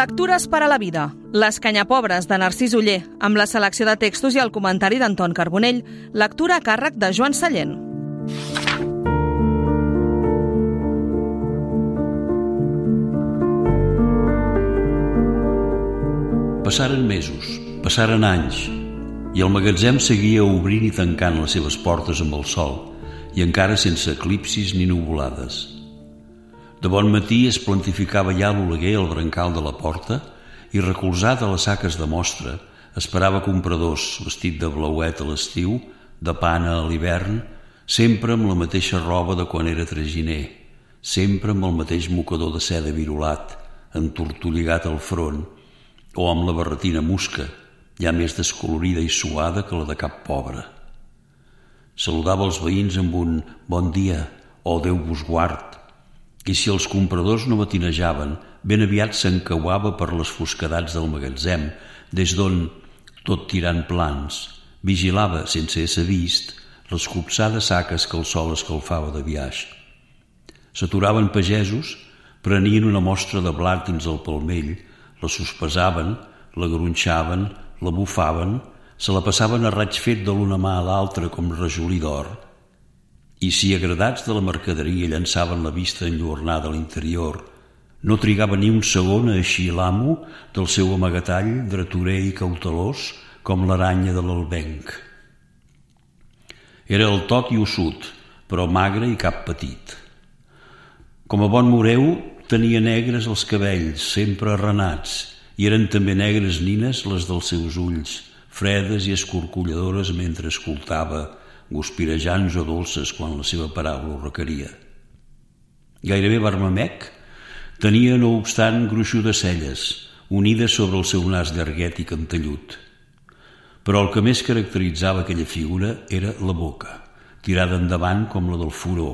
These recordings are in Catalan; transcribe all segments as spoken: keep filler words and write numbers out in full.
Lectures per a la vida. Les canyapobres de Narcís Oller, amb la selecció de textos i el comentari d'Anton Carbonell. Lectura a càrrec de Joan Sallent. Passaren mesos, passaren anys, i el magatzem seguia obrint i tancant les seves portes amb el sol, i encara sense eclipsis ni nuvolades. De bon matí es plantificava ja l'oleguer al brancal de la porta i, recolzat a les saques de mostra, esperava compradors vestit de blauet a l'estiu, de pana a l'hivern, sempre amb la mateixa roba de quan era traginer, sempre amb el mateix mocador de seda virolat, entortolligat al front, o amb la barretina musca, ja més descolorida i suada que la de cap pobre. Saludava els veïns amb un bon dia o Déu vos guard, i si els compradors no matinejaven, ben aviat s'encauava per les fosquedats del magatzem, des d'on, tot tirant plans, vigilava, sense ésser vist, les copsades saques que el sol escalfava de biaix. S'aturaven pagesos, prenien una mostra de blat dins el palmell, la sospesaven, la gronxaven, la bufaven, se la passaven a raig fet de l'una mà a l'altra com rajolí d'or, i si, agradats de la mercaderia, llançaven la vista enlluernada a l'interior, no trigava ni un segon a eixir l'amo del seu amagatall dretorer i cautelós com l'aranya de l'albenc. Era el tot i ossut, però magre i cap petit. Com a bon moreu, tenia negres els cabells, sempre arranats, i eren també negres nines les dels seus ulls, fredes i escorcolladores mentre escoltava, guspirejants o dolces quan la seva paraula ho requeria. Gairebé barmamec, tenia, no obstant, gruixudes celles, unides sobre el seu nas llarguet i cantellut. Però el que més caracteritzava aquella figura era la boca, tirada endavant com la del furó,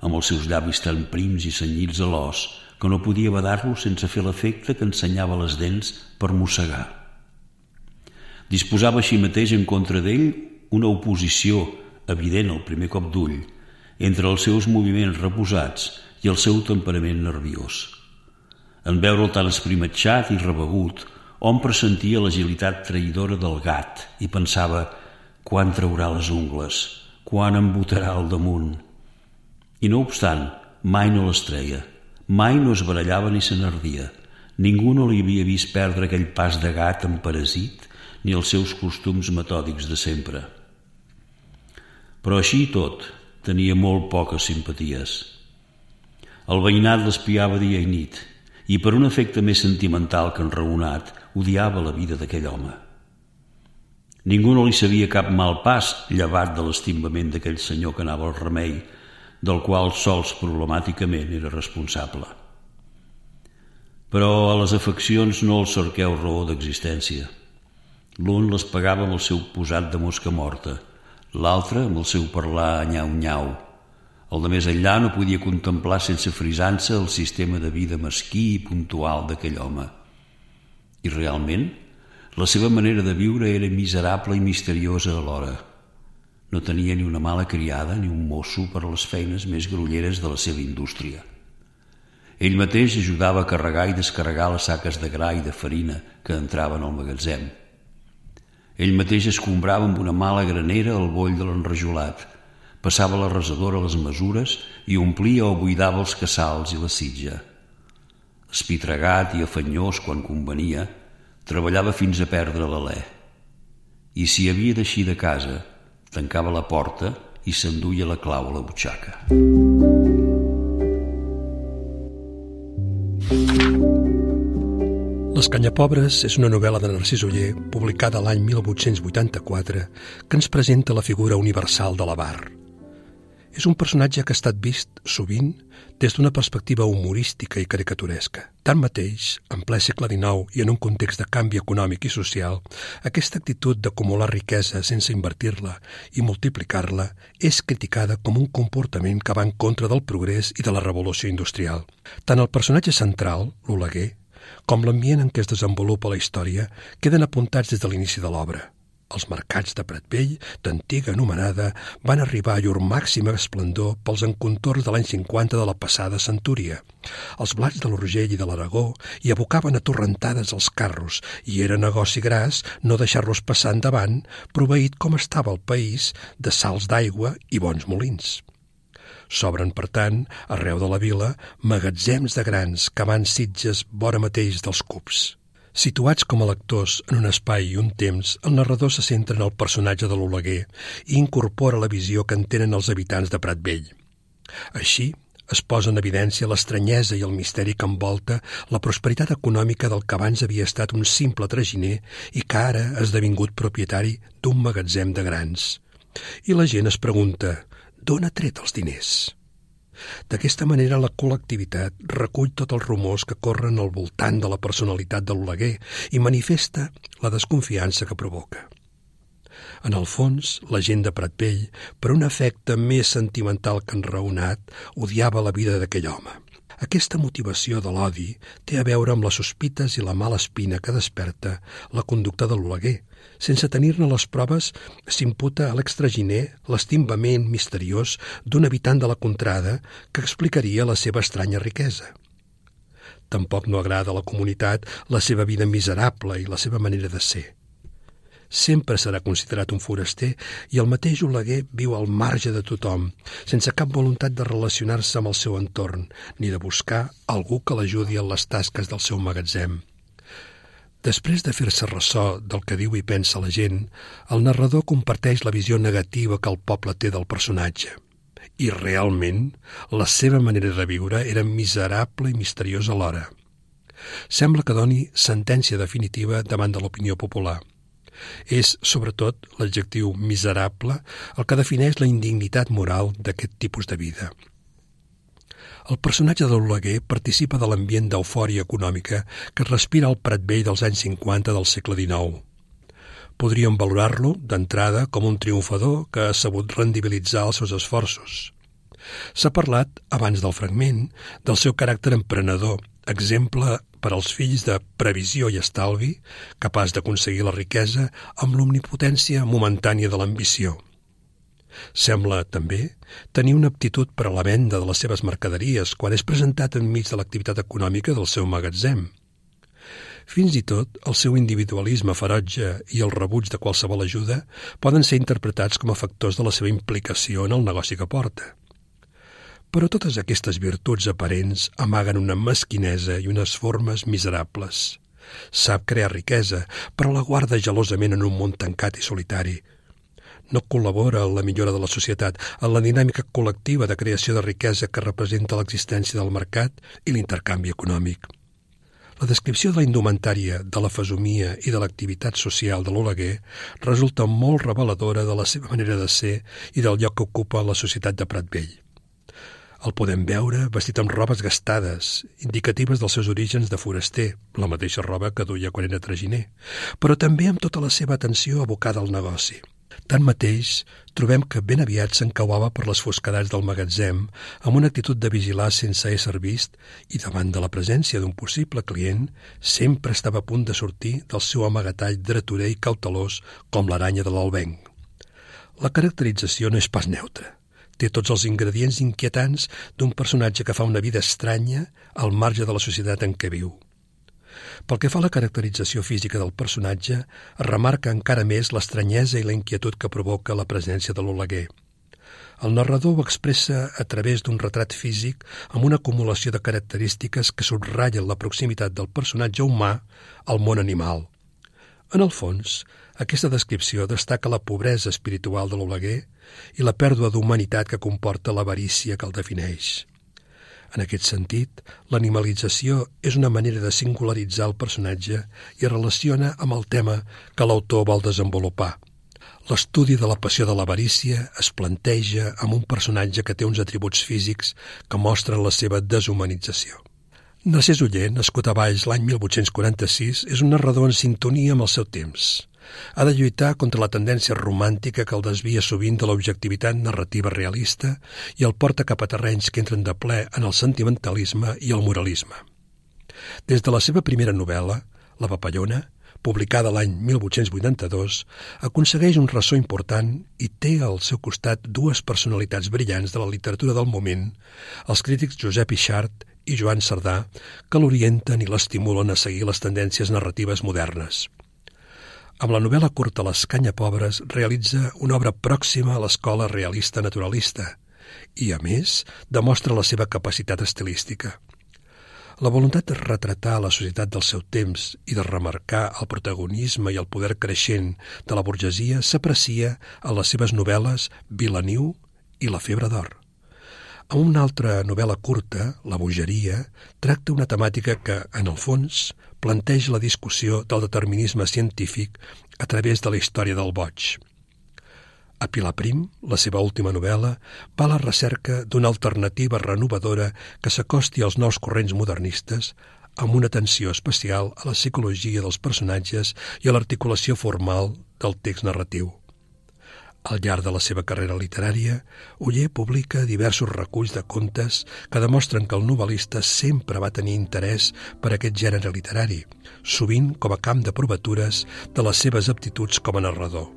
amb els seus llavis tan prims i cenyits a l'os que no podia badar-lo sense fer l'efecte que ensenyava les dents per mossegar. Disposava així mateix en contra d'ell una oposició evident al primer cop d'ull, entre els seus moviments reposats i el seu temperament nerviós. En veure'l tan esprimatxat i rebegut, hom pressentia l'agilitat traïdora del gat i pensava quan traurà les ungles, quan em botarà al damunt. I no obstant, mai no les treia, mai no es barallava ni se n'ardia. Ningú no li havia vist perdre aquell pas de gat emparasit ni els seus costums metòdics de sempre. Però així i tot, tenia molt poques simpaties. El veïnat l'espiava dia i nit, i per un efecte més sentimental que enraonat, odiava la vida d'aquell home. Ningú no li sabia cap mal pas llevat de l'estimbament d'aquell senyor que anava al remei, del qual sols problemàticament era responsable. Però a les afeccions no els cerqueu raó d'existència. L'un les pagava amb el seu posat de mosca morta, l'altre amb el seu parlar nyau-nyau. El de més enllà no podia contemplar sense frisança el sistema de vida mesquí i puntual d'aquell home. I realment, la seva manera de viure era miserable i misteriosa alhora. No tenia ni una mala criada ni un mosso per a les feines més grolleres de la seva indústria. Ell mateix ajudava a carregar i descarregar les saques de gra i de farina que entraven al magatzem. Ell mateix escombrava amb una mala granera el boll de l'enrajolat, passava la resadora a les mesures i omplia o buidava els cassals i la sitja. Espitregat i afanyós quan convenia, treballava fins a perdre l'alè. I si havia d'eixir de casa, tancava la porta i s'enduia la clau a la butxaca. Les canyapobres és una novel·la de Narcís Oller publicada l'any mil vuit-cents vuitanta-quatre que ens presenta la figura universal de l'avar. És un personatge que ha estat vist sovint des d'una perspectiva humorística i caricaturesca. Tanmateix, en ple segle dinou i en un context de canvi econòmic i social, aquesta actitud d'acumular riquesa sense invertir-la i multiplicar-la és criticada com un comportament que va en contra del progrés i de la revolució industrial. Tant el personatge central, l'Oleguer, com l'ambient en què es desenvolupa la història queden apuntats des de l'inici de l'obra. Els mercats de Pratbell, d'antiga anomenada, van arribar a llur màxima esplendor pels encontorns de l'any cinquanta de la passada centúria. Els blats de l'Urgell i de l'Aragó hi abocaven a torrentades els carros i era negoci gras no deixar-los passar endavant, proveït com estava el país de salts d'aigua i bons molins. S'obren, per tant, arreu de la vila, magatzems de grans que van Sitges vora mateix dels Cups. Situats com a lectors en un espai i un temps, el narrador se centra en el personatge de l'Oleguer i incorpora la visió que en tenen els habitants de Pratbell. Així, es posa en evidència l'estranyesa i el misteri que envolta la prosperitat econòmica del que abans havia estat un simple traginer i que ara ha esdevingut propietari d'un magatzem de grans. I la gent es pregunta, d'on ha tret els diners? D'aquesta manera, la col·lectivitat recull tots els rumors que corren al voltant de la personalitat de l'Oleguer i manifesta la desconfiança que provoca. En el fons, la gent de Pratbell, per un efecte més sentimental que enraonat, odiava la vida d'aquell home. Aquesta motivació de l'odi té a veure amb les sospites i la mala espina que desperta la conducta de l'Oleguer. Sense tenir-ne les proves, s'imputa a l'extraginer l'estimbament misteriós d'un habitant de la contrada que explicaria la seva estranya riquesa. Tampoc no agrada a la comunitat la seva vida miserable i la seva manera de ser. Sempre serà considerat un foraster i el mateix Oleguer viu al marge de tothom, sense cap voluntat de relacionar-se amb el seu entorn, ni de buscar algú que l'ajudi en les tasques del seu magatzem. Després de fer-se ressò del que diu i pensa la gent, el narrador comparteix la visió negativa que el poble té del personatge. I realment, la seva manera de viure era miserable i misteriosa alhora. Sembla que doni sentència definitiva davant de l'opinió popular. És, sobretot, l'adjectiu miserable el que defineix la indignitat moral d'aquest tipus de vida. El personatge de l'Oleguer participa de l'ambient d'eufòria econòmica que respira el Pratbell dels anys cinquanta del segle dinou. Podríem valorar-lo, d'entrada, com un triomfador que ha sabut rendibilitzar els seus esforços. S'ha parlat, abans del fragment, del seu caràcter emprenedor, exemple per als fills de previsió i estalvi, capaç d'aconseguir la riquesa amb l'omnipotència momentània de l'ambició. Sembla, també, tenir una aptitud per a la venda de les seves mercaderies quan és presentat enmig de l'activitat econòmica del seu magatzem. Fins i tot, el seu individualisme ferotge i el rebuig de qualsevol ajuda poden ser interpretats com a factors de la seva implicació en el negoci que porta. Però totes aquestes virtuts aparents amaguen una mesquinesa i unes formes miserables. Sap crear riquesa, però la guarda gelosament en un món tancat i solitari. No col·labora en la millora de la societat, en la dinàmica col·lectiva de creació de riquesa que representa l'existència del mercat i l'intercanvi econòmic. La descripció de la indumentària, de la fesomia i de l'activitat social de l'Oleguer resulta molt reveladora de la seva manera de ser i del lloc que ocupa la societat de Pratbell. El podem veure vestit amb robes gastades, indicatives dels seus orígens de foraster, la mateixa roba que duia quan era traginer, però també amb tota la seva atenció abocada al negoci. Tanmateix, trobem que ben aviat s'encauava per les fosquedats del magatzem amb una actitud de vigilar sense ésser vist i davant de la presència d'un possible client sempre estava a punt de sortir del seu amagatall dretorer i cautelós com l'aranya de l'albenc. La caracterització no és pas neutra. Té tots els ingredients inquietants d'un personatge que fa una vida estranya al marge de la societat en què viu. Pel que fa a la caracterització física del personatge, es remarca encara més l'estranyesa i la inquietud que provoca la presència de l'Oleguer. El narrador ho expressa a través d'un retrat físic amb una acumulació de característiques que subratllen la proximitat del personatge humà al món animal. En el fons, aquesta descripció destaca la pobresa espiritual de l'Oleguer i la pèrdua d'humanitat que comporta l'avarícia que el defineix. En aquest sentit, l'animalització és una manera de singularitzar el personatge i es relaciona amb el tema que l'autor vol desenvolupar. L'estudi de la passió de l'avarícia es planteja amb un personatge que té uns atributs físics que mostren la seva deshumanització. Narcís Oller, nascut a Valls l'any mil vuit-cents quaranta-sis, és un narrador en sintonia amb el seu temps. Ha de lluitar contra la tendència romàntica que el desvia sovint de l'objectivitat narrativa realista i el porta cap a terrenys que entren de ple en el sentimentalisme i el moralisme. Des de la seva primera novel·la, La papallona, publicada l'any mil vuit-cents vuitanta-dos, aconsegueix un ressò important i té al seu costat dues personalitats brillants de la literatura del moment, els crítics Josep Yxart i Joan Cerdà, que l'orienten i l'estimulen a seguir les tendències narratives modernes. Amb la novel·la curta Les Canyapobres realitza una obra pròxima a l'escola realista naturalista i, a més, demostra la seva capacitat estilística. La voluntat de retratar la societat del seu temps i de remarcar el protagonisme i el poder creixent de la burgesia s'aprecia en les seves novel·les Vilaniu i La febre d'or. En una altra novel·la curta, La bogeria, tracta una temàtica que, en el fons, planteja la discussió del determinisme científic a través de la història del boig. A Pilar Prim, la seva última novel·la, va a la recerca d'una alternativa renovadora que s'acosti als nous corrents modernistes amb una atenció especial a la psicologia dels personatges i a l'articulació formal del text narratiu. Al llarg de la seva carrera literària, Oller publica diversos reculls de contes que demostren que el novel·lista sempre va tenir interès per aquest gènere literari, sovint com a camp de provatures de les seves aptituds com a narrador.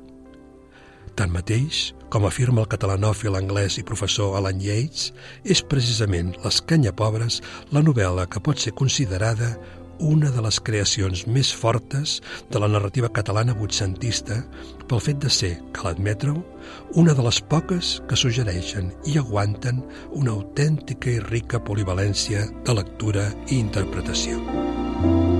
Tanmateix, com afirma el catalanòfil anglès i professor Alan Yates, és precisament Les Canyapobres la novel·la que pot ser considerada una de les creacions més fortes de la narrativa catalana vuitcentista pel fet de ser, cal admetre-ho, una de les poques que suggereixen i aguanten una autèntica i rica polivalència de lectura i interpretació.